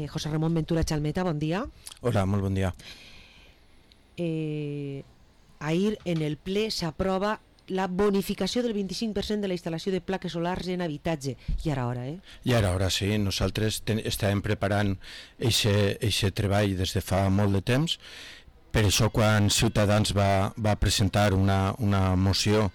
José Ramón Ventura Chalmeta, bon dia. Hola, molt bon dia. Ahir en el ple s'aprova la bonificació del 25% de la instal·lació de plaques solars en habitatge. I ara hora, I ara sí, nosaltres estàvem preparant eixe treball des de fa molt de temps. Per això quan Ciutadans va presentar una moció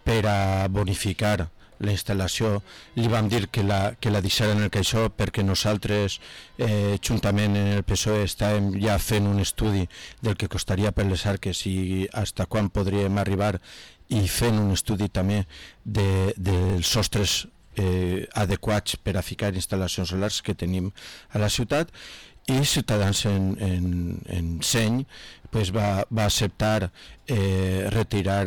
per a bonificar la instal·lació, li vam dir que la deixaren en el caixó, perquè nosaltres juntament en el PSOE estàvem ja fent un estudi del que costaria per les arques i fins quan podríem arribar, i fent un estudi també dels sostres adequats per a ficar instal·lacions solars que tenim a la ciutat. I Ciutadans en seny va acceptar retirar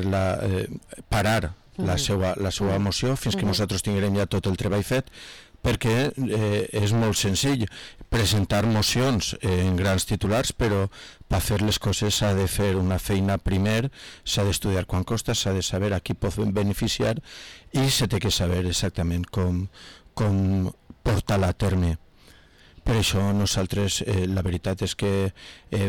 parar la seva moció fins que nosaltres tinguem ja tot el treball fet, perquè és molt senzill presentar mocions en grans titulars, però per fer les coses s'ha de fer una feina primer, s'ha d'estudiar quant costa, s'ha de saber a qui pot beneficiar i s'ha de saber exactament com portar-la a terme. Per això nosaltres la veritat és que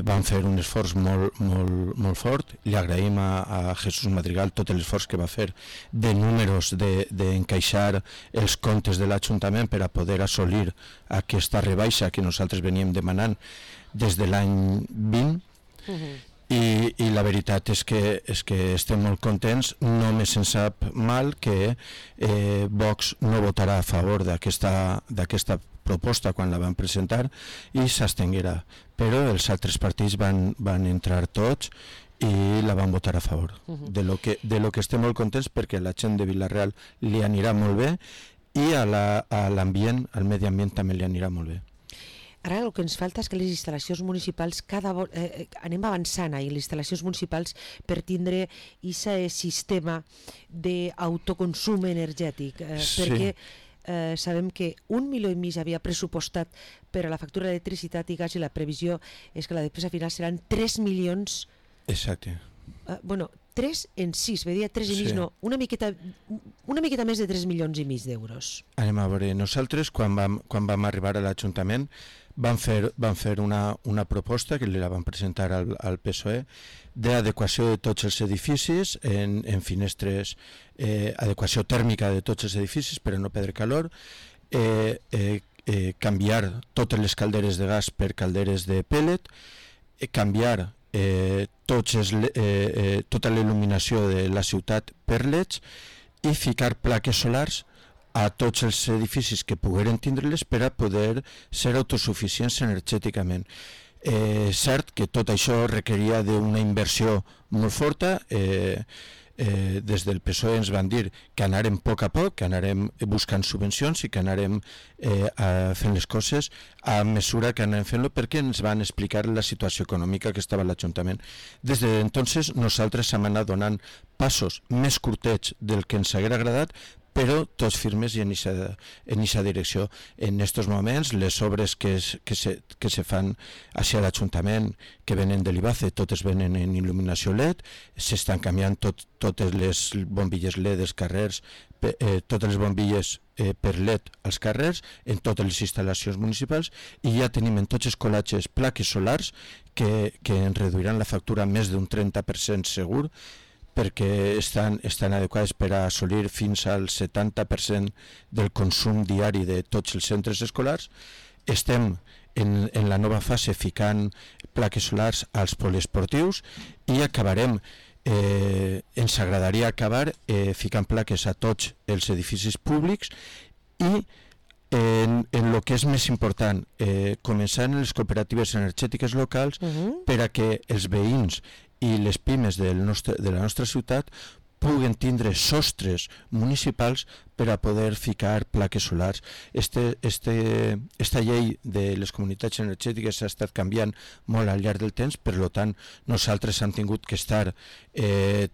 vam fer un esforç molt fort. Li agraïm a Jesús Madrigal tot l'esforç que va fer de números, d'encaixar els comptes de l'Ajuntament per a poder assolir aquesta rebaixa que nosaltres veníem demanant des de l'any 20. I la veritat és que estem molt contents. Només ens sap mal que Vox no votarà a favor d'aquesta proposta quan la van presentar i s'abstenguerà, però els altres partits van entrar tots i la van votar a favor, de lo que estem molt contents, perquè a la gent de Vila-real li anirà molt bé i a l'ambient, al medi ambient també li anirà molt bé. Ara el que ens falta és que les instal·lacions municipals anem avançant i les instal·lacions municipals per tindre aquest sistema d'autoconsum energètic, perquè sabem que 1,5 milions havia pressupostat per a la factura d'electricitat i gas i la previsió és que la despesa final seran 3 milions. Exacte. 3 en 6, ve dir 3 i mig, no, una miqueta més de 3 milions i mig d'euros. Anem a veure, nosaltres quan vam arribar a l'Ajuntament vam fer una proposta que li la vam presentar al PSOE d'adequació de tots els edificis en finestres, adequació tèrmica de tots els edificis per a no perdre calor, canviar totes les calderes de gas per calderes de pellet, canviar tota la il·luminació de la ciutat per leds i ficar plaques solars a tots els edificis que pogueren tindre-les per a poder ser autosuficients energèticament. Cert que tot això requeria d'una inversió molt forta. Des del PSOE ens van dir que anarem a poc, que anarem buscant subvencions i que anarem fent les coses a mesura que anem fent-lo, perquè ens van explicar la situació econòmica que estava a l'Ajuntament. Des d'entonces nosaltres hem anat donant passos més curtets del que ens haguera agradat, però tots firmes i en aquesta direcció. En aquests moments, les obres que se fan a l'Ajuntament, que venen de l'IBACE, totes venen en il·luminació LED, s'estan canviant totes les bombilles LED dels carrers, totes les bombilles per LED als carrers, en totes les instal·lacions municipals, i ja tenim en tots els colatges plaques solars que ens reduiran la factura més d'un 30% segur, perquè estan adequades per a assolir fins al 70% del consum diari de tots els centres escolars. Estem en la nova fase ficant plaques solars als poliesportius i acabarem, ens agradaria acabar ficant plaques a tots els edificis públics i en el que és més important, començar en les cooperatives energètiques locals per a que els veïns i les pimes de la nostra ciutat puguen tindre sostres municipals per a poder ficar plaques solars. Esta llei de les comunitats energètiques s'ha estat canviant molt al llarg del temps, per tant nosaltres hem tingut que estar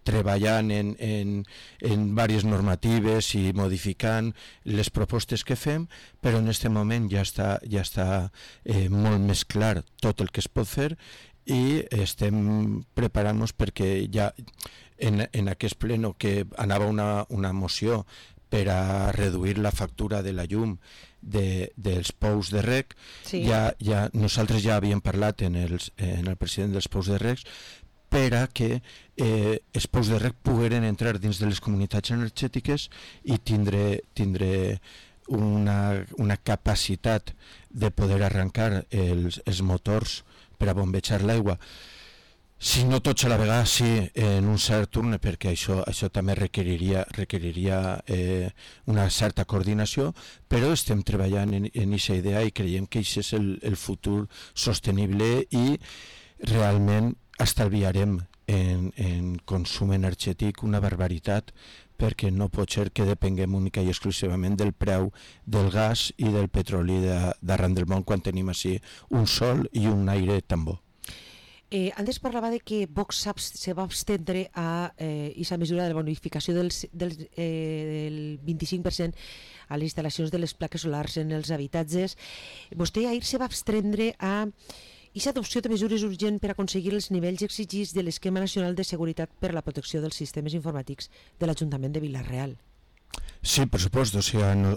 treballant en diverses normatives i modificant les propostes que fem, però en aquest moment ja està molt més clar tot el que es pot fer i estem preparant-nos perquè ja en aquest pleno que anava una moció per a reduir la factura de la llum dels pous de rec. Sí. Nosaltres ja havíem parlat en el president dels pous de rec per a que els pous de rec pogueren entrar dins de les comunitats energètiques i tindre una capacitat de poder arrencar els motors per a bombejar l'aigua. Si no tots a la vegada, sí, en un cert turn, perquè això també requeriria una certa coordinació, però estem treballant en aquesta idea i creiem que això és el futur sostenible i realment estalviarem en consum energètic una barbaritat, perquè no pot ser que depenguem única i exclusivament del preu del gas i del petroli d'arreu del món quan tenim així un sol i un aire tan bo. Antes parlava de que Vox se va abstendre a aquesta mesura de la bonificació del 25% a les instal·lacions de les plaques solars en els habitatges. Vostè ahir se va abstendre a aquesta adopció de mesures urgents per aconseguir els nivells exigits de l'Esquema Nacional de Seguretat per a la Protecció dels Sistemes Informàtics de l'Ajuntament de Vila-real. Sí, per supost,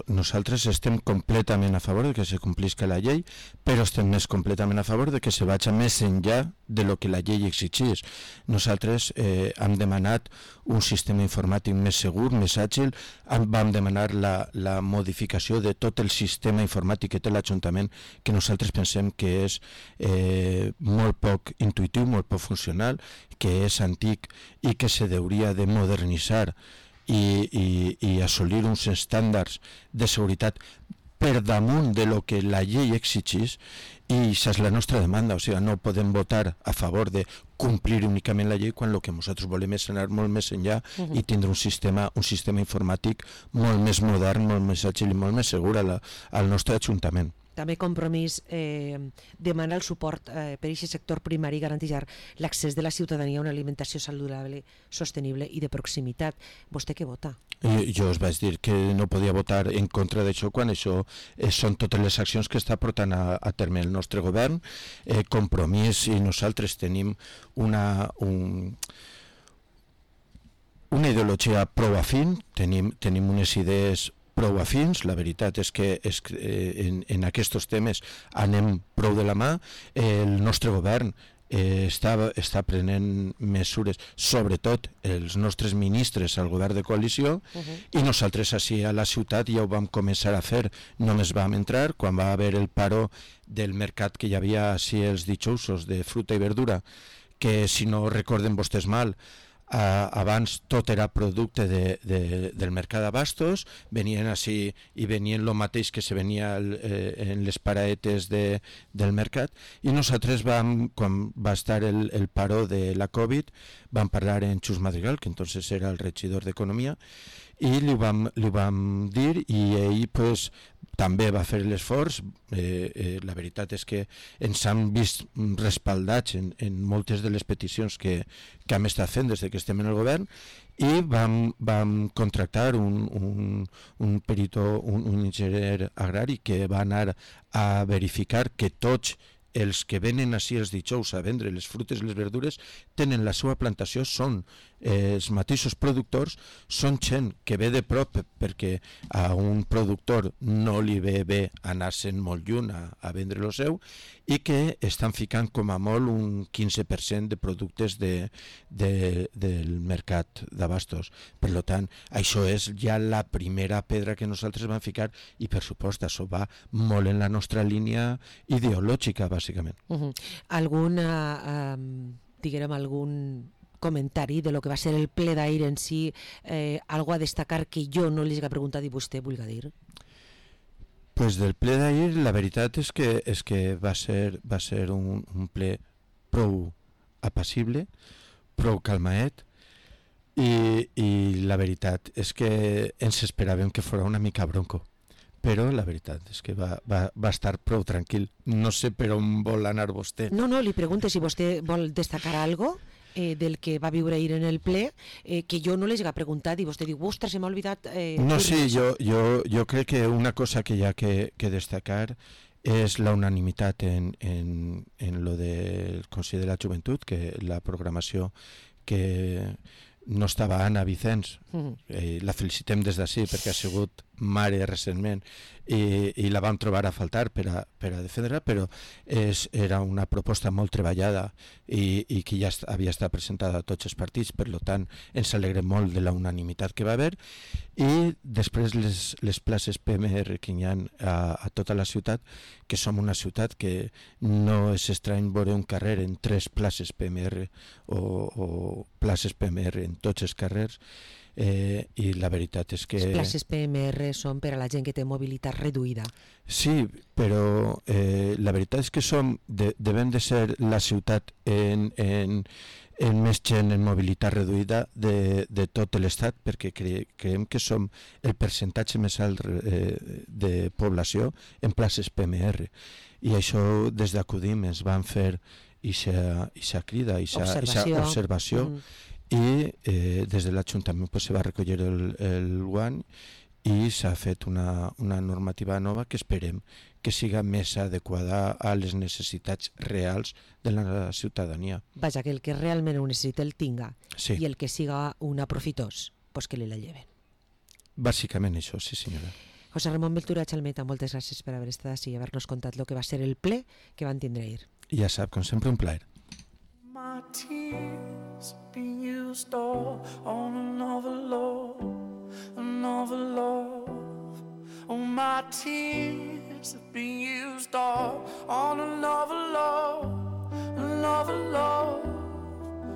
nosaltres estem completament a favor de que se complisca la llei, però estem més completament a favor de que se vagi més enllà de lo que la llei exigeix. Nosaltres hem demanat un sistema informàtic més segur, més àgil, vam demanar la modificació de tot el sistema informàtic que té l'Ajuntament, que nosaltres pensem que és molt poc intuïtiu, molt poc funcional, que és antic i que se hauria de modernitzar i assolir uns estàndards de seguretat per damunt de lo que la llei exigeix, i això és la nostra demanda. O sigui, no podem votar a favor de complir únicament la llei quan el que nosaltres volem és anar molt més enllà i tindre un sistema informàtic molt més modern, molt més àgil i molt més segur al nostre Ajuntament. També Compromís demana el suport per a aquest sector primari i garantir l'accés de la ciutadania a una alimentació saludable, sostenible i de proximitat. Vostè què vota? Jo us vaig dir que no podia votar en contra d'això quan això són totes les accions que està portant a terme el nostre govern. Compromís i nosaltres tenim una ideologia prou afín, tenim unes idees prou afins. La veritat és que en aquests temes anem prou de la mà. El nostre govern està prenent mesures, sobretot els nostres ministres al govern de coalició, i nosaltres així a la ciutat ja ho vam començar a fer. Només vam entrar quan va haver el paro del mercat que hi havia així els dijousos de fruita i verdura, que si no recorden vostès mal, abans tot era producte del mercat d'abastos, venien així i venien el mateix que se venia en les paraetes del mercat, i nosaltres quan va estar el paro de la Covid, vam parlar en Xus Madrigal, que entonces era el regidor d'Economia, i li vam dir, i ell pues, també va fer l'esforç. La veritat és que ens han vist respaldats en moltes de les peticions que hem estat fent des que estem en el govern, i vam contractar un perito, un enginyer agrari que va anar a verificar que tots els que venen així els dijous a vendre les frutes i les verdures tenen la seva plantació, són els mateixos productors, són gent que ve de prop, perquè a un productor no li ve bé anar-se'n molt lluny a vendre el seu, i que estan ficant com a molt un 15% de productes del mercat d'abastos. Per tant, això és ja la primera pedra que nosaltres vam ficar, i per supost això va molt en la nostra línia ideològica, bàsicament. Algun comentari de lo que va ser el ple d'ahir en si, algo a destacar que jo no li he preguntat i vostè vulgui dir? Pues del ple d'ahir la veritat és que va ser un ple prou apassible, prou calmaet, i la veritat és que ens esperàvem que fos una mica bronco, però la veritat és que va estar prou tranquil. No sé per on vol anar vostè. No, li pregunto si vostè vol destacar algo del que va viure ahir en el ple, que jo no les he preguntat, i vostè diu, ostres, se m'ha oblidat... No, sí, jo crec que una cosa que hi ha que destacar és la unanimitat en lo del Consell de la Joventut, que la programació que no estava Anna Vicenç, la felicitem des d'ací perquè ha sigut mare recentment i la vam trobar a faltar per a defendre-la, però era una proposta molt treballada i que ja havia estat presentada a tots els partits, per tant ens alegrem molt de la unanimitat que va haver. I després les places PMR que hi ha a tota la ciutat, que som una ciutat que no és estrany veure un carrer en 3 places PMR o places PMR en tots els carrers, i la veritat és que... Les places PMR són per a la gent que té mobilitat reduïda. Sí, però la veritat és que devem de ser la ciutat en més gent en mobilitat reduïda de tot l'estat, perquè creiem que som el percentatge més alt de població en places PMR. I això des d'Acudim ens van fer ixa crida, ixa observació. I des de l'Ajuntament se va recollir el guany i s'ha fet una normativa nova que esperem que siga més adequada a les necessitats reals de la ciutadania. Vaja, que el que realment ho necessita el tinga, sí. I el que siga un aprofitós, pues que li la lleven. Bàsicament això, sí senyora. José Ramon Ventura Chalmeta, moltes gràcies per haver estat així i haver-nos contat el que va ser el ple que van tindre ahir. I ja sap, com sempre, un plaer. My tears being used all on another love, another love. Oh, my tears have been used all on another love, another love.